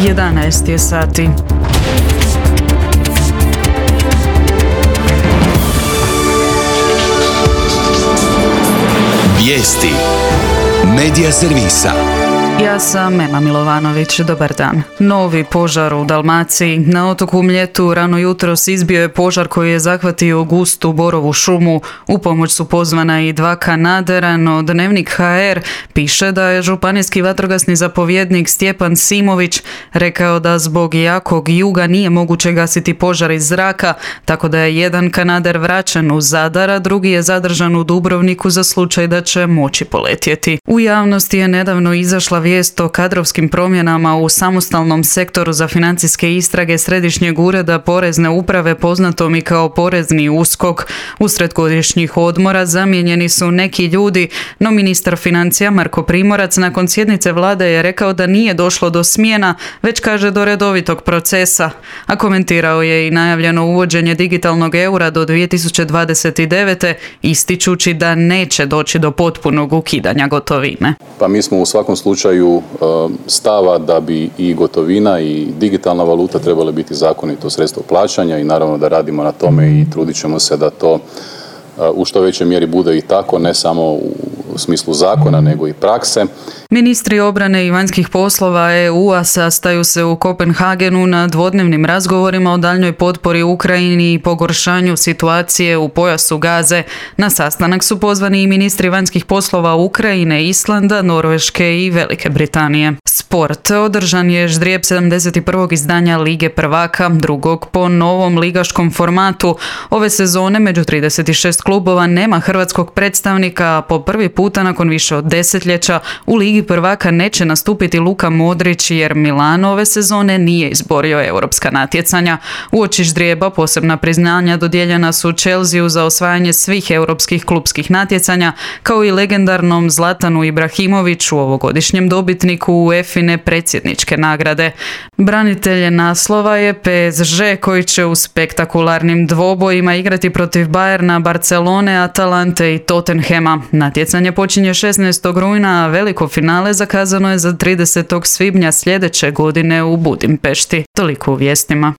11 je sati. Vijesti Medija servisa. Ja sam Ema Milovanović, dobar dan. Novi požar u Dalmaciji. Na otoku Mljetu rano jutros izbio je požar koji je zahvatio gustu borovu šumu. U pomoć su pozvana i 2 kanadera, no Dnevnik HR piše da je županijski vatrogasni zapovjednik Stjepan Simović rekao da zbog jakog juga nije moguće gasiti požar iz zraka, tako da je jedan kanader vraćen u Zadar, a drugi je zadržan u Dubrovniku za slučaj da će moći poletjeti. U javnosti je nedavno izašla vijest o kadrovskim promjenama u samostalnom sektoru za financijske istrage Središnjeg ureda Porezne uprave, poznatom i kao Porezni USKOK. Usred godišnjih odmora zamijenjeni su neki ljudi, no ministar financija Marko Primorac nakon sjednice vlade je rekao da nije došlo do smjena, već kaže do redovitog procesa. A komentirao je i najavljeno uvođenje digitalnog eura do 2029. ističući da neće doći do potpunog ukidanja gotovine. Pa mi smo u svakom slučaju stava da bi i gotovina i digitalna valuta trebale biti zakonito sredstvo plaćanja i naravno da radimo na tome i trudit ćemo se da to u što većoj mjeri bude i tako, ne samo u smislu zakona, nego i prakse. Ministri obrane i vanjskih poslova EU-a sastaju se u Kopenhagenu na dvodnevnim razgovorima o daljnjoj potpori Ukrajini i pogoršanju situacije u pojasu Gaze. Na sastanak su pozvani i ministri vanjskih poslova Ukrajine, Islanda, Norveške i Velike Britanije. Sport. Održan je ždrijeb 71. izdanja Lige prvaka, drugog po novom ligaškom formatu. Ove sezone među 36 klubova nema hrvatskog predstavnika, a po prvi puta nakon više od desetljeća u Ligi prvaka neće nastupiti Luka Modrić jer Milano ove sezone nije izborio europska natjecanja. Uoči ždrijeba posebna priznanja dodijeljena su Chelseu za osvajanje svih europskih klupskih natjecanja, kao i legendarnom Zlatanu Ibrahimoviću, ovogodišnjem dobitniku UEFA-ine predsjedničke nagrade. Branitelje naslova je PSG koji će u spektakularnim dvobojima igrati protiv Bayerna, Barcelone, Atalante i Tottenhama. Natjecanje počinje 16. rujna, a veliko finale zakazano je za 30. svibnja sljedeće godine u Budimpešti. Toliko u vijestima.